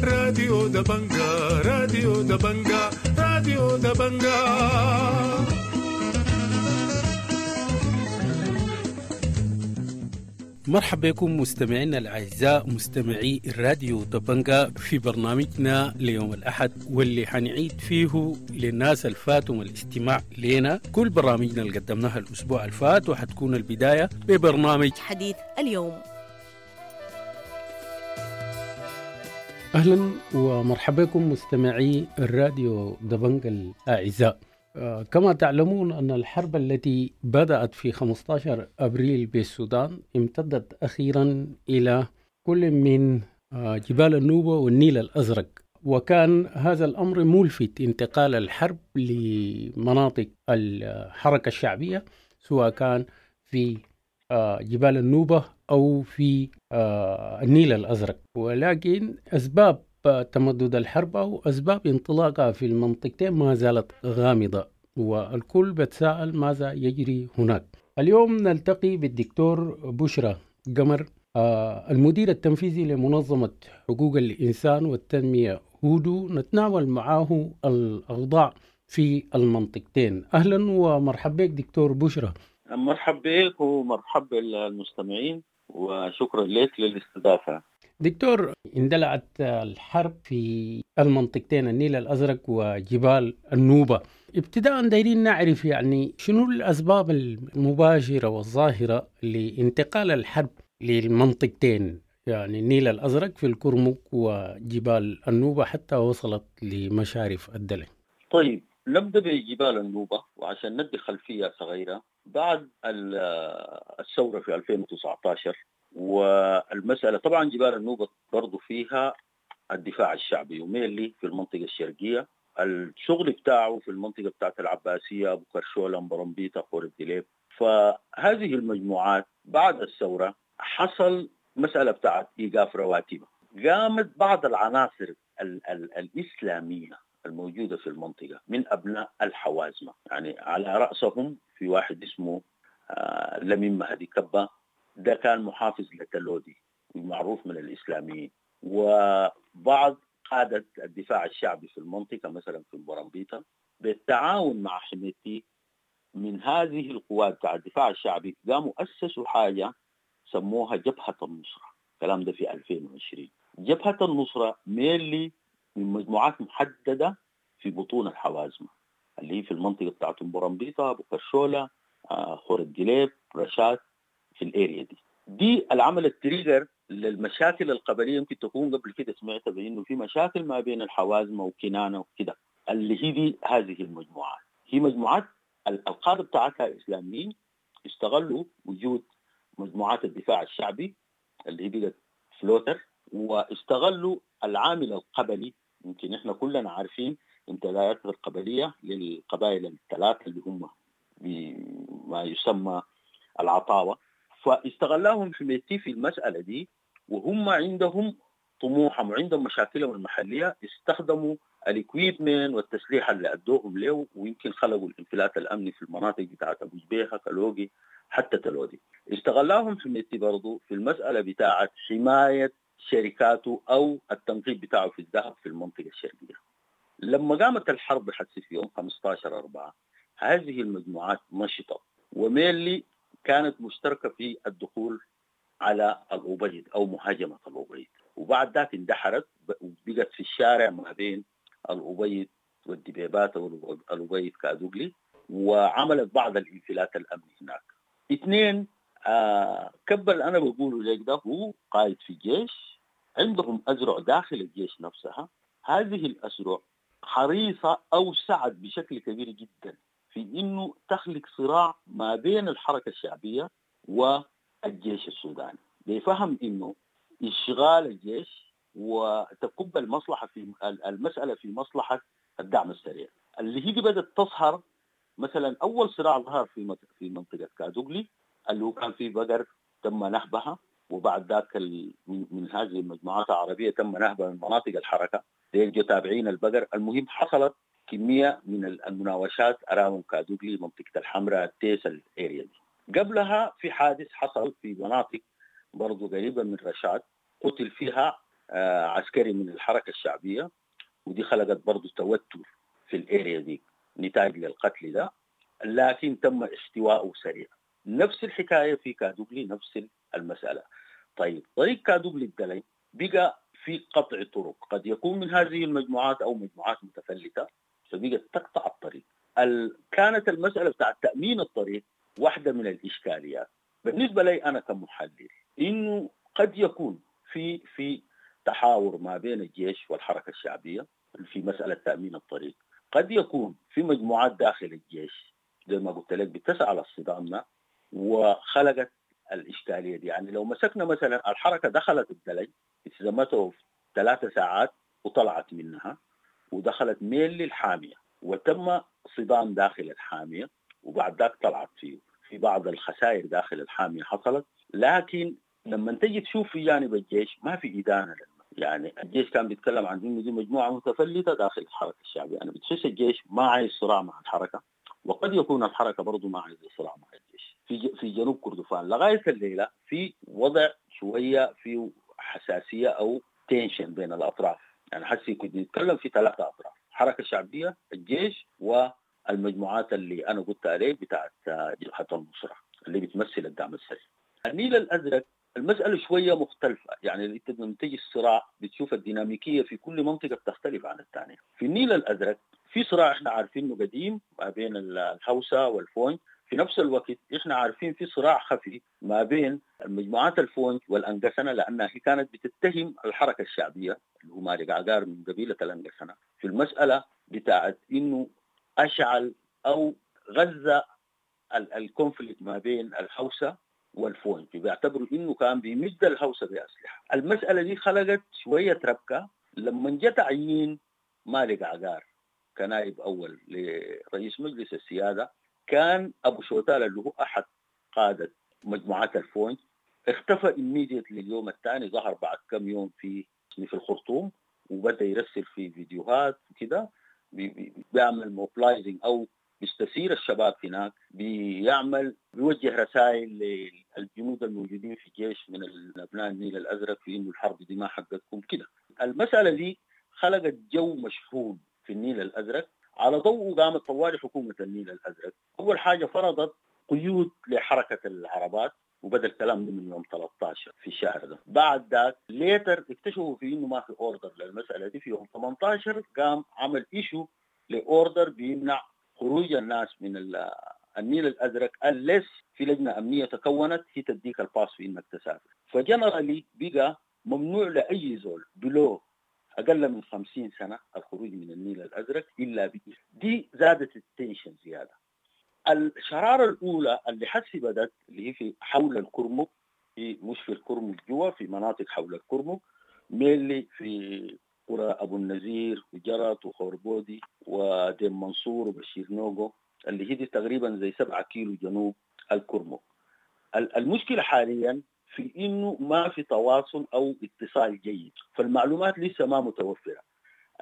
راديو دبنجا، راديو دبنجا، راديو دبنجا. مرحبا بكم مستمعينا الأعزاء مستمعي الراديو دبنجا في برنامجنا ليوم الأحد، واللي حنعيد فيه للناس الفاتهم الاستماع لنا كل برامجنا اللي قدمناها الأسبوع الفات، وحتكون البداية ببرنامج حديث اليوم. أهلا ومرحبا بكم مستمعي الراديو دبنجا الأعزاء. كما تعلمون أن الحرب التي بدأت في 15 أبريل بالسودان امتدت أخيرا إلى كل من جبال النوبة والنيل الأزرق، وكان هذا الأمر ملفت، انتقال الحرب لمناطق الحركة الشعبية سواء كان في جبال النوبة أو في النيل الأزرق. ولكن أسباب تمدد الحرب أو أسباب انطلاقها في المنطقتين ما زالت غامضة، والكل بتساءل ماذا يجري هناك. اليوم نلتقي بالدكتور بشرى قمر، المدير التنفيذي لمنظمة حقوق الإنسان والتنمية هودو، نتناول معه الأوضاع في المنطقتين. أهلا ومرحبا بك دكتور بشرى. مرحبا بك ومرحبا بالمستمعين، وشكرا لك للاستضافة. دكتور، اندلعت الحرب في المنطقتين النيل الأزرق وجبال النوبة. ابتداء دايرين نعرف يعني شنو الأسباب المباشرة والظاهرة لانتقال الحرب للمنطقتين، يعني النيل الأزرق في الكرمك وجبال النوبة حتى وصلت لمشارف الدلع. طيب نبدأ بجبال النوبة، وعشان ندي خلفية صغيرة، بعد الثورة في 2019 والمسألة طبعا جبال النوبة برضو فيها الدفاع الشعبي وميلي في المنطقة الشرقية، الشغل بتاعه في المنطقة بتاعت العباسية، أبو كرشولة، برمبيطة، خور الدليب. فهذه المجموعات بعد الثورة حصل مسألة بتاعت إيقاف رواتبها، قامت بعض العناصر الإسلامية الموجودة في المنطقة من أبناء الحوازمة، يعني على رأسهم في واحد اسمه لمين مهدي كبة، ده كان محافظ لتلودي معروف من الإسلاميين، وبعض قادة الدفاع الشعبي في المنطقة مثلا في برمبيطة بالتعاون مع حميتي من هذه القوات بتاع الدفاع الشعبي قاموا أسسوا حاجة سموها جبهة النصرة. الكلام ده في 2020. جبهة النصرة ميلي من مجموعات محددة في بطون الحوازمة اللي هي في المنطقة بتاعت برمبيطة، أبو كرشولة، خور الدليب، رشاد، في ال area دي العمل ال trigger للمشاكل القبلية. يمكن تكون قبل كده سمعت بانه في مشاكل ما بين الحوازمه وكنانه وكده، اللي هي دي هذه المجموعات هي مجموعات القادة بتاعتها اسلاميين، استغلوا وجود مجموعات الدفاع الشعبي اللي هي بقت floater، واستغلوا العامل القبلي. يمكن احنا كلنا عارفين امتدادات القبلية للقبائل الثلاثة اللي هم بما يسمى العطاوه، فاستغلاهم حميتي في المسألة دي، وهم عندهم طموحهم وعندهم مشاكلهم المحلية، استخدموا ال equipment والتسليح اللي أدوهم له، ويمكن خلقوا الانفلات الأمني في المناطق بتاعت أبو جبيهة، كالوغي، حتى تلودي. استغلاهم حميتي برضو في المسألة بتاعت حماية شركاته أو التنقيب بتاعه في الذهب في المنطقة الشرقية. لما قامت الحرب حتى في يوم 15/4 هذه المجموعات نشطت، وميلي كانت مشتركة في الدخول على الأبيض أو مهاجمة الأبيض، وبعد ذاك اندحرت وبقت في الشارع ما بين الأبيض والدبيبات والأبيض كادوغلي، وعملت بعض الانفلات الأمني هناك. اثنين، كبل أنا بقوله لك ده هو قائد في الجيش، عندهم أزرع داخل الجيش نفسها. هذه الأزرع حريصة أو سعت بشكل كبير جدا في إنه تخلق صراع ما بين الحركة الشعبية والجيش السوداني، بفهم إنه إشغال الجيش وتكب المصلحة في المسألة في مصلحة الدعم السريع، اللي هي بدأت تظهر. مثلا أول صراع ظهر في منطقة كادوغلي اللي هو كان في بقر تم نهبها، وبعد ذاك من هذه المجموعات العربية تم نهبها من مناطق الحركة، ديل تابعين البقر. المهم حصلت كمية من المناوشات around كادوغلي، منطقة الحمراء، التيس، ال area دي. قبلها في حادث حصل في مناطق برضو قريبة من رشاد قتل فيها عسكري من الحركة الشعبية، ودي خلقت برضو توتر في ال area دي نتاج للقتل ده، لكن تم احتوائه سريع. نفس الحكاية في كادوغلي، نفس المسألة. طيب طريق كادوغلي الدلنج بقى في قطع طرق، قد يكون من هذه المجموعات أو مجموعات متفلتة، فبقت تقطع الطريق. كانت المسألة بتاع تأمين الطريق واحدة من الإشكاليات بالنسبة لي أنا كمحلل، إنه قد يكون في تحاور ما بين الجيش والحركة الشعبية في مسألة تأمين الطريق، قد يكون في مجموعات داخل الجيش زي ما قلت لك بتسعى للصدام ده وخلقت الإشكالية دي. يعني لو مسكنا مثلا الحركة دخلت الدلج استلمته في 3 ساعات وطلعت منها ودخلت ميل للحامية، وتم صدام داخل الحامية، وبعد ذاك طلعت فيه في بعض الخسائر داخل الحامية حصلت. لكن لما تجي تشوف في جانب الجيش ما في إدانة، يعني الجيش كان بيتكلم عن إنه دي مجموعة متفلتة داخل الحركة الشعبية. يعني بتحس الجيش ما عايز صراع مع الحركة، وقد يكون الحركة برضو ما عايز صراع مع الجيش. في جنوب كردفان لغاية الليلة في وضع شوية في حساسية أو tension بين الأطراف. يعني حسي كنت نتكلم في 3 أطراف: الحركة الشعبية، الجيش، والمجموعات اللي أنا قلت عليه بتاعت جبهة النصرة اللي بتمثل الدعم السريع. النيل الأزرق المسألة شوية مختلفة، يعني انت لما تيجي الصراع بتشوف الديناميكية في كل منطقة بتختلف عن الثانية. في النيل الأزرق في صراع احنا عارفينه قديم ما بين الهوسة والفونج، في نفس الوقت احنا عارفين في صراع خفي ما بين المجموعات الفونج والأنقسنة، لأنها هي كانت بتتهم الحركة الشعبية اللي هو مالك عقار من قبيلة الأنقسنة في المسألة بتاعت إنه أشعل أو غزة ال conflict ما بين الهوسة والفونج، بيعتبروا إنه كان بيمد الهوسة بأسلحة. المسألة دي خلقت شوية ربكة لما جاء تعيين مالك عقار كنائب أول لرئيس مجلس السيادة. كان أبو شوتال اللي هو أحد قادة مجموعات الفونج اختفى immediately اليوم الثاني، ظهر بعد كم يوم في الخرطوم وبدأ يرسل في فيديوهات وكده، بيعمل mobilizing أو بيستثير الشباب هناك، بيعمل بيوجه رسائل للجنود الموجودين في الجيش من أبناء النيل الأزرق في إنه الحرب دي ما حقتكم كده. المسألة دي خلقت جو مشحون في النيل الأزرق. على ضوء قامت طوال حكومة النيل الأزرق أول حاجة فرضت قيود لحركة العربات، وبدأ الكلام ده من يوم 13 في الشهر ده. بعد ذاك later اكتشفوا في إنه ما في order للمسألة دي. في يوم 18 قام عمل issue ل order بيمنع خروج الناس من النيل الأزرق unless في لجنة أمنية تكونت هي تديك ال pass في إنك تسافر. ف generally بقى ممنوع لأي زول below أقل من 50 سنة الخروج من النيل الأزرق إلا بإذن. دي زادت ال tension زيادة. الشرارة الأولى اللي حسي بدت اللي هي في حول الكرمك، في مش في الكرمك جوا، في مناطق حول الكرمك، mainly في قرى أبو النزير وجرت وخوربودي وديم منصور وبشير نوغو اللي هي دي تقريبا زي 7 كيلو جنوب الكرمك. المشكلة حاليا في إنه ما في تواصل أو اتصال جيد، فالمعلومات لسه ما متوفرة.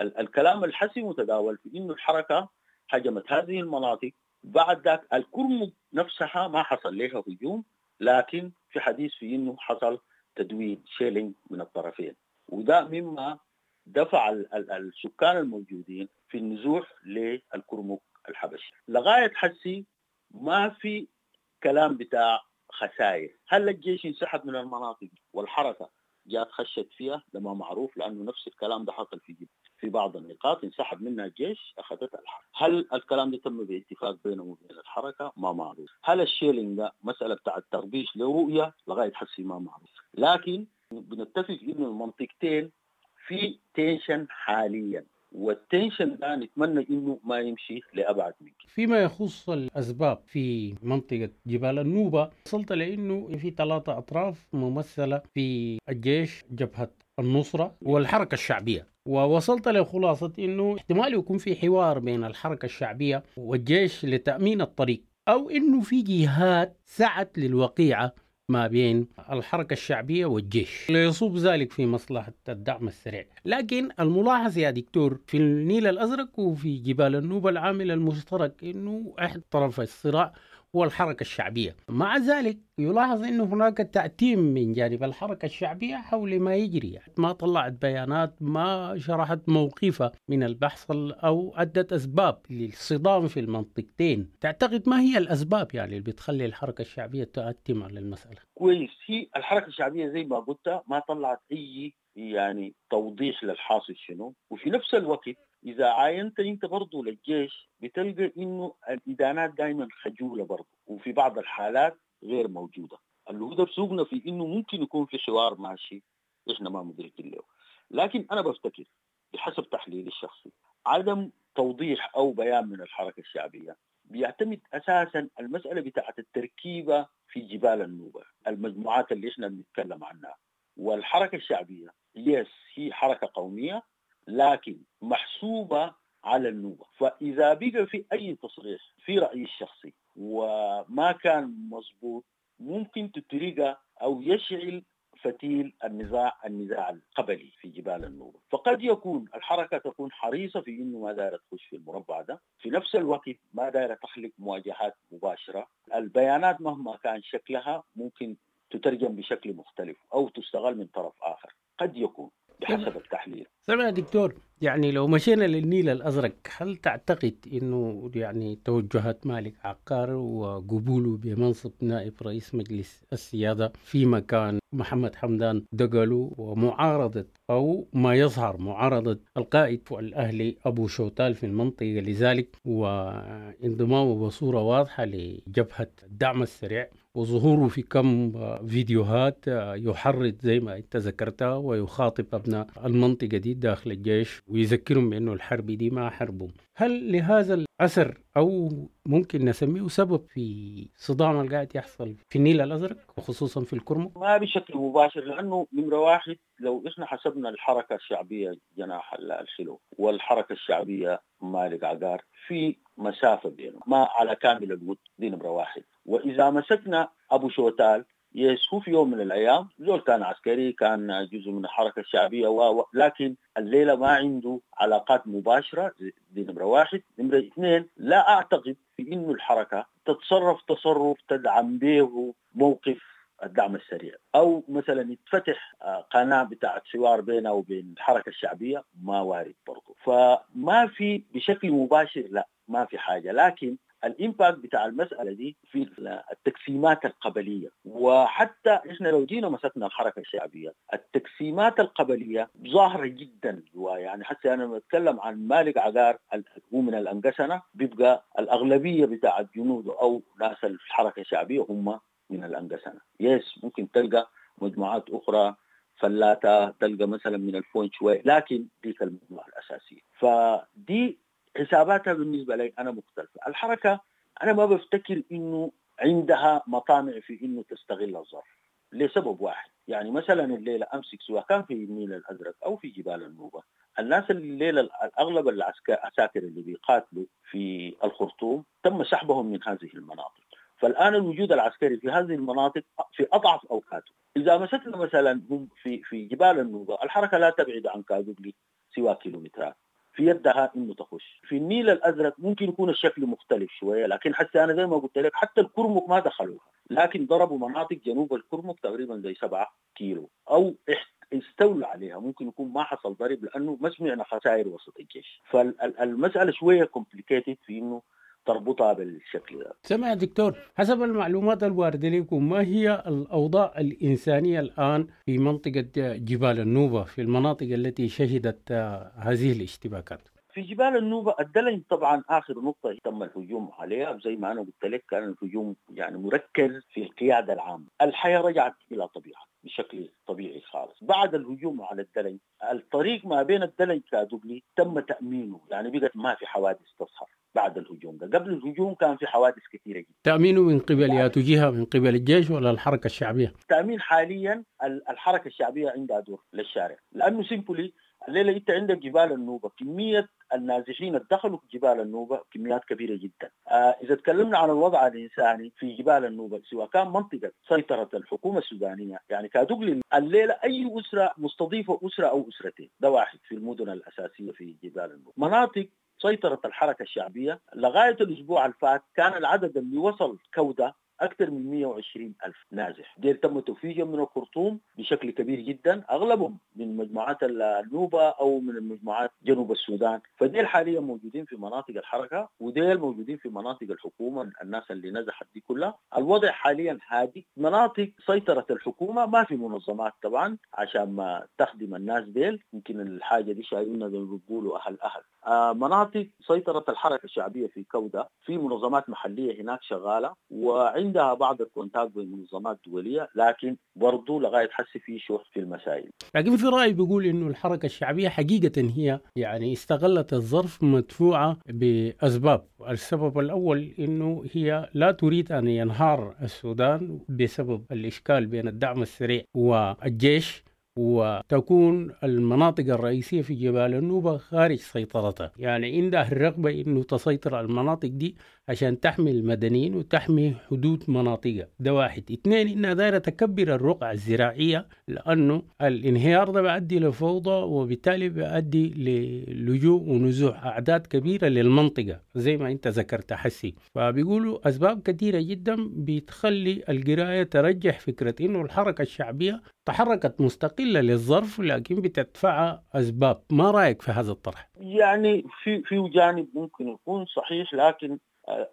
الكلام الحسي متداول في إنه الحركة هجمت هذه المناطق. بعد ذاك الكرمك نفسها ما حصل لها هجوم، لكن في حديث في إنه حصل تدوير shelling من الطرفين، وده مما دفع السكان الموجودين في النزوح للكرمك الحبشي. لغاية حسي ما في كلام بتاع خسائر. هل الجيش انسحب من المناطق والحركة جات خشت فيها؟ ده ما معروف، لأنه نفس الكلام ده حصل في بعض النقاط انسحب منها الجيش أخذتها الحركة. هل الكلام ده تم باتفاق بينه وبين الحركة؟ ما معروف. هل ال shelling ده مسألة بتاع التغبيش لرؤية؟ لغاية حسي ما معروف. لكن بنتفق إنه المنطقتين في tension حاليا، وال tension ده نتمنى انه ما يمشي لابعد منك. فيما يخص الاسباب في منطقه جبال النوبه، وصلت لانه في 3 اطراف ممثله في الجيش، جبهه النصره والحركه الشعبيه، ووصلت لخلاصه انه احتمال يكون في حوار بين الحركه الشعبيه والجيش لتامين الطريق، او انه في جهات سعت للوقيعه ما بين الحركة الشعبية والجيش ليصب ذلك في مصلحة الدعم السريع. لكن الملاحظ يا دكتور في النيل الأزرق وفي جبال النوبة العامل المشترك إنه أحد طرف الصراع هو الحركة الشعبية. مع ذلك يلاحظ أن هناك تعتيم من جانب الحركة الشعبية حول ما يجري، يعني ما طلعت بيانات، ما شرحت موقفها من البحث أو أدت أسباب للصدام في المنطقتين. تعتقد ما هي الأسباب يعني اللي بتخلي الحركة الشعبية تعتم على المسألة؟ كويس، هي الحركة الشعبية زي ما قلت ما طلعت أي يعني توضيح للحاصل شنو، وفي نفس الوقت إذا عاينت أنت برضو للجيش بتلقى إنه الإدانات دائما خجولة برضو، وفي بعض الحالات غير موجودة. اللي هو ده بسوقنا في إنه ممكن يكون في حوار ماشي إحنا ما مدركين له. لكن أنا بفتكر بحسب تحليلي الشخصي عدم توضيح أو بيان من الحركة الشعبية بيعتمد أساسا المسألة بتاعت التركيبة في جبال النوبة، المجموعات اللي إحنا بنتكلم عنها. والحركة الشعبية yes هي حركة قومية لكن محسوبة على النوبة، فإذا بقى في أي تصريح في رأيي الشخصي وما كان مظبوط ممكن تتريقه أو يشعل فتيل النزاع القبلي في جبال النوبة. فقد يكون الحركة تكون حريصة في إنه ما دايرة تخش في المربع ده، في نفس الوقت ما دايرة تخلق مواجهات مباشرة. البيانات مهما كان شكلها ممكن تترجم بشكل مختلف أو تستغل من طرف آخر، قد يكون بحسب التحليل. سمع دكتور، يعني لو مشينا للنيل الأزرق، هل تعتقد أنه يعني توجهات مالك عقار وقبوله بمنصب نائب رئيس مجلس السيادة في مكان محمد حمدان دقلو ومعارضة أو ما يظهر معارضة القائد الأهلي أبو شوتال في المنطقة لذلك، وانضمامه بصورة واضحة لجبهة الدعم السريع وظهوره في كم فيديوهات يحرض زي ما انت ذكرتها ويخاطب أبناء المنطقة دي داخل الجيش ويذكرهم بأنه الحرب دي ما حربهم، هل لهذا الأثر أو ممكن نسميه سبب في صدام اللي قاعد يحصل في النيل الأزرق وخصوصا في الكرمك؟ ما بشكل مباشر، لأنه نمرة واحد لو إحنا حسبنا الحركة الشعبية جناح الحلو والحركة الشعبية مالك عقار في مسافة بينهم ما على كامل الود، دي نمرة واحد. وإذا مسكنا أبو شوتال yes هو في يوم من الأيام زول كان عسكري، كان جزء من الحركة الشعبية لكن الليلة ما عنده علاقات مباشرة، دي نمرة واحد. نمرة اثنين، لا أعتقد في إنه الحركة تتصرف تصرف تدعم به موقف الدعم السريع، أو مثلا يتفتح قناة بتاعت حوار بينه وبين الحركة الشعبية، ما وارد برضه. فما في بشكل مباشر، لا ما في حاجة، لكن ال impact بتاع المسألة دي في التقسيمات القبلية. وحتى إحنا لو جينا مسكنا الحركة الشعبية التقسيمات القبلية ظاهرة جدا جواها. يعني حتى أنا بتكلم عن مالك عقار هو من الأنقسنة، بيبقى الأغلبية بتاع الجنود أو ناس الحركة الشعبية هم من الأنقسنة. yes ممكن تلقى مجموعات أخرى فلاتة، تلقى مثلا من الفون شوي، لكن ديك المجموعة الأساسية. فدي حساباتها بالنسبة لي أنا مختلفة. الحركة أنا ما بفتكر إنه عندها مطامع في إنه تستغل الظرف لسبب واحد. يعني مثلا الليلة أمسك سواء كان في النيل الأزرق أو في جبال النوبة، الناس الليلة الأغلب العساكر اللي بيقاتلوا في الخرطوم تم سحبهم من هذه المناطق. فالآن الوجود العسكري في هذه المناطق في أضعف أوقاته. إذا مسكنا مثلا هم في جبال النوبة الحركة لا تبعد عن كادوغلي سوى كيلومترات، في يدها انه تخش. في النيل الازرق ممكن يكون الشكل مختلف شويه، لكن حتى انا زي ما قلت لك حتى الكرمك ما دخلوها، لكن ضربوا مناطق جنوب الكرمك تقريبا زي 7 كيلو او استولوا عليها. ممكن يكون ما حصل ضرب لانه ما سمعنا خسائر وسط الجيش. فالمساله شويه complicated في انه تربطها بالشكل ده. سمع دكتور، حسب المعلومات الواردة لكم، ما هي الأوضاع الإنسانية الآن في منطقة جبال النوبة، في المناطق التي شهدت هذه الاشتباكات؟ في جبال النوبة الدلنج طبعا آخر نقطة تم الهجوم عليها، زي ما أنا قلت لك كان الهجوم يعني مركز في القيادة العامة. الحياة رجعت إلى طبيعة بشكل طبيعي خالص بعد الهجوم على الدلنج. الطريق ما بين الدلنج كادوغلي تم تأمينه، يعني بقت ما في حوادث تظهر بعد الهجوم ده. قبل الهجوم كان في حوادث كثيرة جدا. تأمينه من قبل يا تجيها من قبل الجيش ولا الحركة الشعبية؟ تأمين حاليا الحركة الشعبية عندها دور للشارع، لأنه simply الليلة أنت عندك جبال النوبة كمية النازحين دخلوا جبال النوبة كميات كبيرة جدا. إذا تكلمنا عن الوضع الإنساني في جبال النوبة سواء كان منطقة سيطرة الحكومة السودانية، يعني كادوغلي الليلة أي أسرة مستضيفة أسرة أو أسرتين، ده واحد في المدن الأساسية في جبال النوبة. مناطق سيطرة الحركة الشعبية لغاية الأسبوع الفات كان العدد اللي وصل كودة أكثر من 120 ألف نازح. ديل تم توفيقهم من الخرطوم بشكل كبير جدا، أغلبهم من مجموعات النوبة أو من المجموعات جنوب السودان. فديل حاليا موجودين في مناطق الحركة، وديل موجودين في مناطق الحكومة، الناس اللي نزحت دي كلها. الوضع حاليا هادي. مناطق سيطرة الحكومة ما في منظمات طبعا عشان ما تخدم الناس ديل، يمكن الحاجة دي شايلينها زي ما بيقولوا أهل. مناطق سيطرة الحركة الشعبية في كودة في منظمات محلية هناك شغالة وعندها بعض ال contact بالمنظمات الدولية، لكن برضو لغاية حس في شح في المسائل. لكن في رأي بيقول إنه الحركة الشعبية حقيقة هي يعني استغلت الظرف مدفوعة بأسباب. السبب الأول إنه هي لا تريد أن ينهار السودان بسبب الإشكال بين الدعم السريع والجيش، وتكون المناطق الرئيسية في جبال النوبة خارج سيطرتها. يعني عندها الرغبة إنه تسيطر على المناطق دي عشان تحمي المدنيين وتحمي حدود مناطقها. ده واحد. اثنين، إنها دايرة تكبر الرقعة الزراعية، لأنه الانهيار ده بيؤدي لفوضى، وبالتالي بيؤدي للجوء ونزوح أعداد كبيرة للمنطقة زي ما أنت ذكرت حسي. فبيقولوا أسباب كثيرة جدا بتخلي القراية ترجح فكرة إنه الحركة الشعبية تحركت مستقلة للظرف، لكن بتدفع أسباب. ما رأيك في هذا الطرح؟ يعني في جانب ممكن يكون صحيح، لكن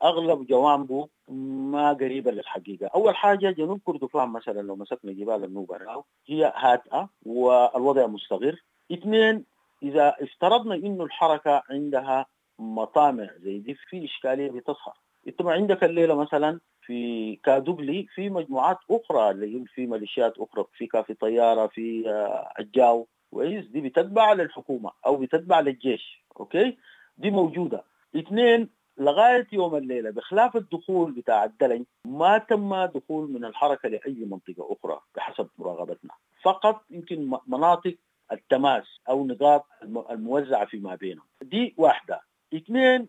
أغلب جوانبه ما قريبة للحقيقة. أول حاجة جنوب كردفان مثلا لو مسكنا جبال النوبة هي هادئة والوضع مستقر. اثنين، إذا افترضنا إنه الحركة عندها مطامع زي دي في إشكالية بتظهر. انت ما عندك الليلة مثلا في كادوغلي في مجموعات أخرى اللي هي في ميليشيات أخرى، في كافي طيارة، في الجاو، كويس، دي بتتبع للحكومة أو بتتبع للجيش، okay، دي موجودة. اثنين، لغاية يوم الليلة بخلاف الدخول بتاع الدلنج ما تم دخول من الحركة لأي منطقة أخرى بحسب مراقبتنا، فقط يمكن مناطق التماس أو نقاط الموزعة فيما بينهم. دي واحدة. اثنين،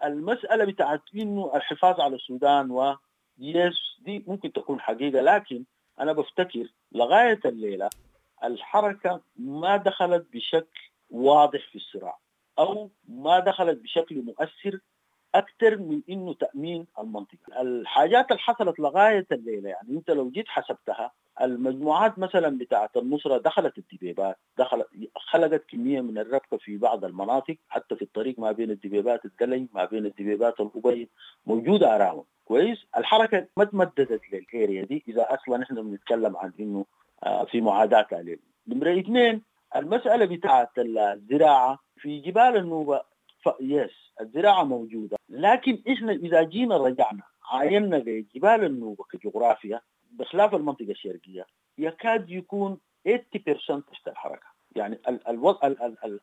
المسألة بتاعت إنه الحفاظ على السودان و yes دي ممكن تكون حقيقة، لكن أنا بفتكر لغاية الليلة الحركة ما دخلت بشكل واضح في الصراع أو ما دخلت بشكل مؤثر أكثر من إنه تأمين المنطقة. الحاجات اللي حصلت لغاية الليلة يعني أنت لو جيت حسبتها، المجموعات مثلا بتاعة النصرة دخلت الدبيبات، خلقت كمية من الربكة في بعض المناطق، حتى في الطريق ما بين الدبيبات الدلنج ما بين الدبيبات الأبيض موجودة أراهم. كويس، الحركة ما تمددت لل area دي إذا أصلا نحن بنتكلم عن إنه في معاداة عليه. نمرة اثنين، المسألة بتاعة الزراعة في جبال النوبة، yes الزراعة موجودة، لكن إحنا إذا جينا رجعنا عاينا لجبال النوبة كجغرافيا بخلاف المنطقة الشرقية يكاد يكون 80% تحت الحركة. يعني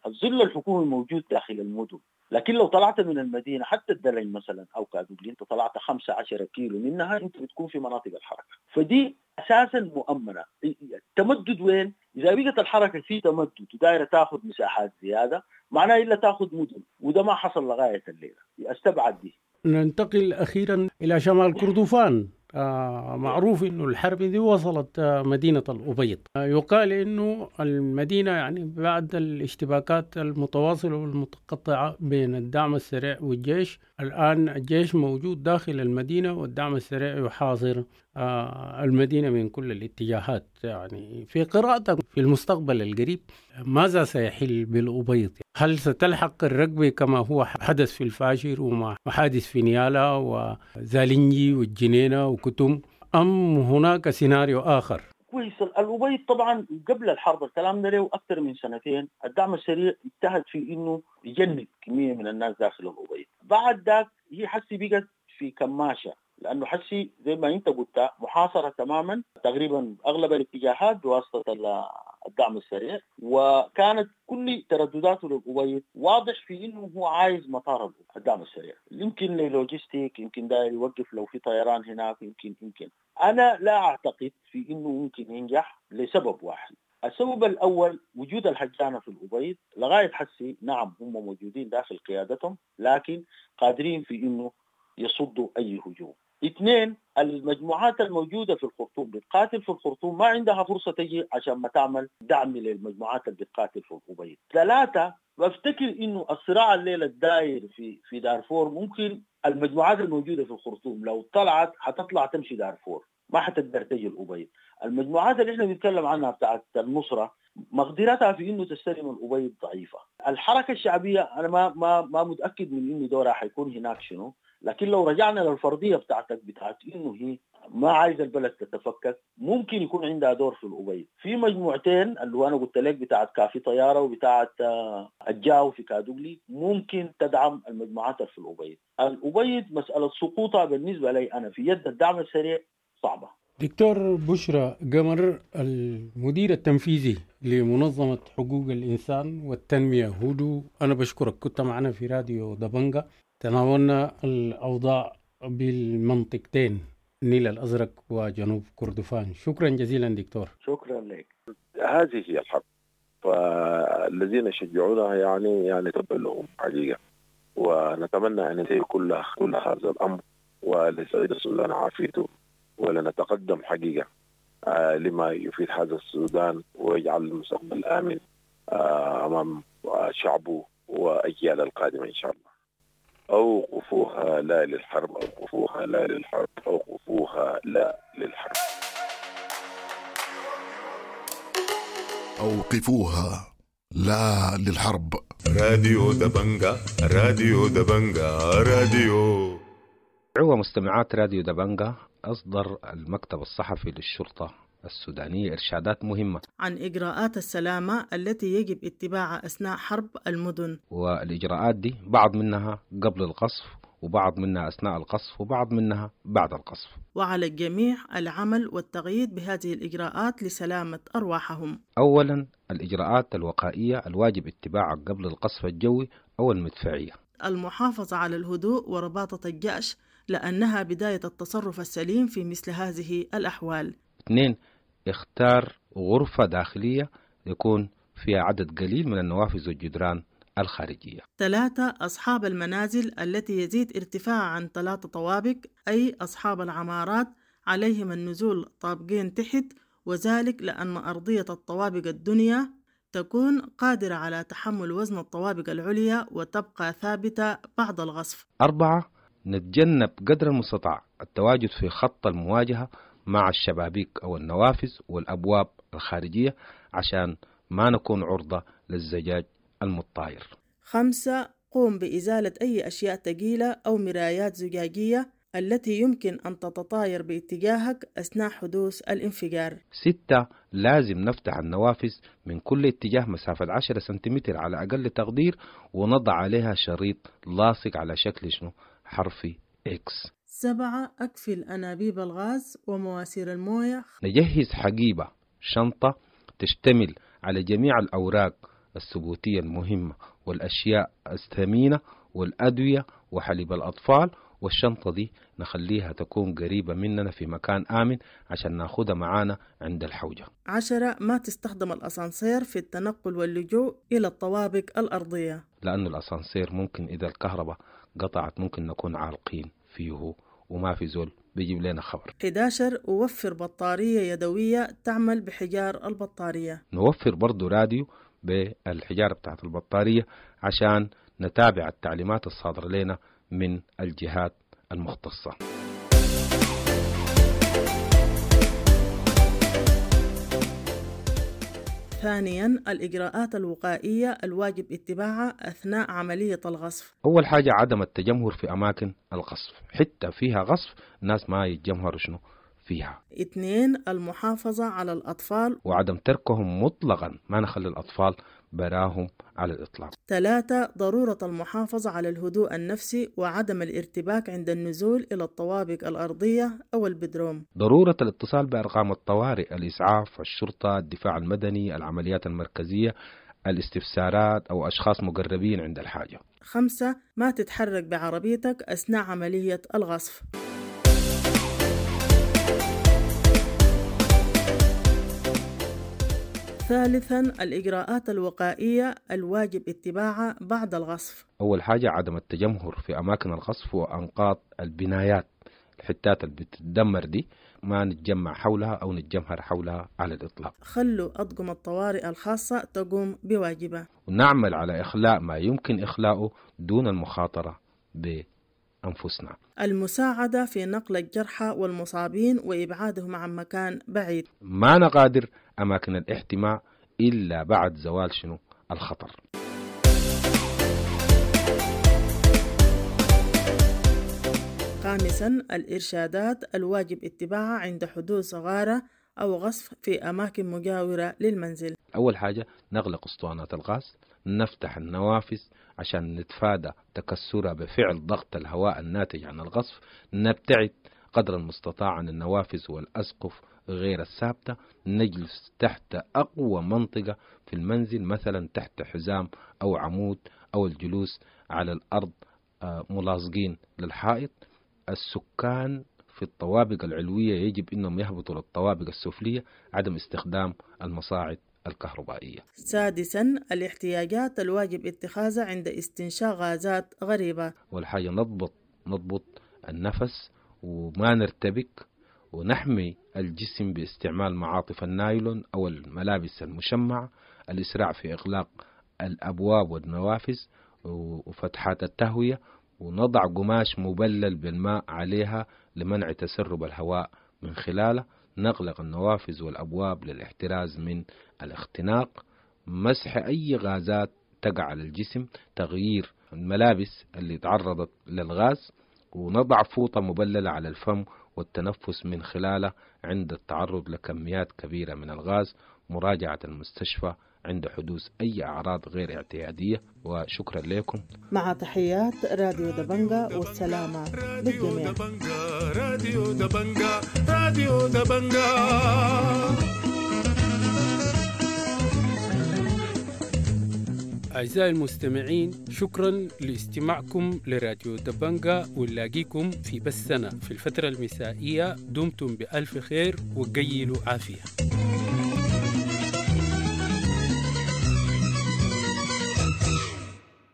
الظل الحكومي موجود داخل المدن، لكن لو طلعت من المدينة حتى الدلنج مثلا أو كادوغلي أنت طلعت 15 كيلو منها أنت بتكون في مناطق الحركة، فدي أساسا مؤمنة. التمدد وين؟ إذا بقت الحركة في تمدد ودايرة تأخذ مساحات زيادة معناه إلا تأخذ مدن، وده ما حصل لغاية الليلة، أستبعد دي. ننتقل أخيرا إلى شمال كردفان. معروف إنه الحرب دي وصلت مدينة الأبيض. يقال إنه المدينة يعني بعد الاشتباكات المتواصلة والمتقطعة بين الدعم السريع والجيش، الآن الجيش موجود داخل المدينة والدعم السريع يحاصر المدينة من كل الاتجاهات. يعني في قراءتك في المستقبل القريب ماذا سيحل بالأبيض؟ هل ستلحق الركبة كما هو حدث في الفاشر وما حادث في نيالا وزالنجي والجنينة وكتم، أم هناك سيناريو آخر؟ كويس. الأبيض طبعا قبل الحرب الكلام ده له أكثر من سنتين الدعم السريع اجتهد في إنه يجند كمية من الناس داخل الأبيض. بعد ذاك هي حسي بقت في كماشة، لأنه حسي زي ما أنت قلت محاصرة تماما تقريبا أغلب الاتجاهات بواسطة الدعم السريع، وكانت كل تردداته للأبيض واضح في إنه هو عايز مطار الدعم السريع، يمكن لل logistic، يمكن داير يوقف لو في طيران هناك، يمكن. أنا لا أعتقد في إنه ممكن ينجح لسبب واحد. السبب الأول وجود الهجانة في الأبيض لغاية حسي، نعم هم موجودين داخل قيادتهم لكن قادرين في إنه يصدوا أي هجوم. اثنين، المجموعات الموجودة في الخرطوم بتقاتل في الخرطوم ما عندها فرصة تجي عشان ما تعمل دعم للمجموعات اللي بتقاتل في الأبيض. ثلاثة، بفتكر انه الصراع الليلة الداير في دارفور ممكن المجموعات الموجودة في الخرطوم لو طلعت حتطلع تمشي دارفور، ما حتقدر تجي الأبيض. المجموعات اللي احنا بنتكلم عنها بتاعت النصرة مقدرتها في انه تستلم الأبيض ضعيفة. الحركة الشعبية انا ما متاكد من انه دورها حيكون هناك شنو، لكن لو رجعنا للفرضيه بتاعتك بتاعت انه هي ما عايزه البلد تتفكك، ممكن يكون عندها دور في الأبيض. في مجموعتين اللي هو انا قلت لك بتاعت كافي طيارة وبتاعت الجاو في كادوغلي، ممكن تدعم المجموعات في الأبيض. الأبيض مسالة سقوطها بالنسبة لي انا في يد الدعم السريع صعبة. دكتور بشرى قمر، المدير التنفيذي لمنظمة حقوق الإنسان والتنمية هودو، أنا بشكرك، كنت معنا في راديو دبنجة، تناولنا الأوضاع بالمنطقتين النيل الأزرق وجنوب كردفان. شكرا جزيلا دكتور. شكرا لك. هذه هي الحرب، فالذين يشجعونها يعني تبا لهم حقيقة، ونتمنى أن ينتهي كل هذا الأمر ولسعيد السودان عافيته، ولنتقدم حقيقة لما يفيد هذا السودان ويجعل المستقبل آمن أمام شعبه وأجيال القادمة إن شاء الله. أوقفوها لا للحرب، أوقفوها لا للحرب، أوقفوها لا للحرب. أوقفوها لا للحرب. راديو دبنجة، راديو دبنجة، راديو. عوة مستمعات راديو دبنجة، أصدر المكتب الصحفي للشرطة السودانية إرشادات مهمة عن إجراءات السلامة التي يجب اتباعها أثناء حرب المدن. والإجراءات دي بعض منها قبل القصف، وبعض منها أثناء القصف، وبعض منها بعد القصف. وعلى الجميع العمل والتغييد بهذه الإجراءات لسلامة أرواحهم. أولا، الإجراءات الوقائية الواجب اتباعها قبل القصف الجوي أو المدفعية. المحافظة على الهدوء ورباطة الجأش، لأنها بداية التصرف السليم في مثل هذه الأحوال. 2، اختار غرفة داخلية يكون فيها عدد قليل من النوافذ والجدران الخارجية. 3، أصحاب المنازل التي يزيد ارتفاعها عن 3 طوابق، أي أصحاب العمارات، عليهم النزول طابقين تحت، وذلك لأن أرضية الطوابق الدنيا تكون قادرة على تحمل وزن الطوابق العليا وتبقى ثابتة بعد الغصف. 4، نتجنب قدر المستطاع التواجد في خط المواجهة مع الشبابيك أو النوافذ والأبواب الخارجية عشان ما نكون عرضة للزجاج المتطاير. 5، قوم بإزالة أي أشياء ثقيلة أو مرايات زجاجية التي يمكن أن تتطاير باتجاهك أثناء حدوث الانفجار. 6، لازم نفتح النوافذ من كل اتجاه مسافة 10 سنتيمتر على أقل تقدير، ونضع عليها شريط لاصق على شكل حرف X. 7، أقفل أنابيب الغاز ومواسير الموية. نجهز حقيبة شنطة تشتمل على جميع الأوراق الثبوتية المهمة والأشياء الثمينة والأدوية وحليب الأطفال، والشنطة دي نخليها تكون قريبة مننا في مكان آمن عشان ناخدها معانا عند الحوجة. 10، ما تستخدم الأسانسير في التنقل واللجوء إلى الطوابق الأرضية، لأن الأسانسير ممكن إذا الكهرباء قطعت ممكن نكون عالقين فيه وما في زول بيجيب لنا خبر. 11، وفر بطارية يدوية تعمل بحجار البطارية. نوفر برضو راديو بالحجارة بتاعت البطارية عشان نتابع التعليمات الصادرة لنا من الجهات المختصة. ثانيا، الإجراءات الوقائية الواجب اتباعها أثناء عملية الغصف. أول حاجة عدم التجمهر في أماكن الغصف، حتى فيها غصف الناس ما يتجمهروا شنو فيها. 2، المحافظة على الأطفال وعدم تركهم مطلقا، ما نخلي الأطفال براهم على الإطلاق. 3، ضرورة المحافظة على الهدوء النفسي وعدم الارتباك عند النزول إلى الطوابق الأرضية أو البدروم. ضرورة الاتصال بأرقام الطوارئ، الإسعاف، الشرطة، الدفاع المدني، العمليات المركزية، الاستفسارات أو أشخاص مقربين عند الحاجة. 5، ما تتحرك بعربيتك أثناء عملية الغصف. ثالثا، الإجراءات الوقائية الواجب اتباعها بعد الغصف. أول حاجة عدم التجمهر في أماكن الغصف وأنقاض البنايات، الحتات اللي بتدمر دي ما نتجمع حولها أو نتجمهر حولها على الإطلاق. خلوا أطقم الطوارئ الخاصة تقوم بواجبها، ونعمل على إخلاء ما يمكن إخلاؤه دون المخاطرة بأنفسنا. المساعدة في نقل الجرحى والمصابين وإبعادهم عن مكان بعيد. ما نغادر أماكن الاحتماء إلا بعد زوال شنو الخطر. خامسا، الإرشادات الواجب اتباعها عند حدوث غارة أو غصف في أماكن مجاورة للمنزل. أول حاجة نغلق أسطوانات الغاز، نفتح النوافذ عشان نتفادى تكسرها بفعل ضغط الهواء الناتج عن الغصف، نبتعد قدر المستطاع عن النوافذ والأسقف غير الثابتة، نجلس تحت أقوى منطقة في المنزل، مثلا تحت حزام أو عمود، أو الجلوس على الأرض ملاصقين للحائط. السكان في الطوابق العلوية يجب أنهم يهبطوا للطوابق السفلية، عدم استخدام المصاعد الكهربائية. سادسا، الاحتياجات الواجب اتخاذها عند استنشاق غازات غريبة. والحاجة نضبط النفس وما نرتبك، ونحمي الجسم باستعمال معاطف النايلون أو الملابس المشمعة، الإسراع في إغلاق الأبواب والنوافذ وفتحات التهوية، ونضع قماش مبلل بالماء عليها لمنع تسرب الهواء من خلاله، نغلق النوافذ والأبواب للاحتراز من الاختناق، مسح أي غازات تقع على الجسم، تغيير الملابس اللي تعرضت للغاز، ونضع فوطة مبللة على الفم والتنفس من خلاله عند التعرض لكميات كبيرة من الغاز، مراجعة المستشفى عند حدوث أي أعراض غير اعتيادية. وشكرا لكم. مع تحيات راديو دبنجا، والسلامة للجميع. راديو دبنجا، راديو دبنجا. أعزائي المستمعين، شكرا لاستماعكم لراديو دبنجا، ونلاقيكم في بثنا في الفترة المسائية. دمتم بألف خير وقيلوا عافية.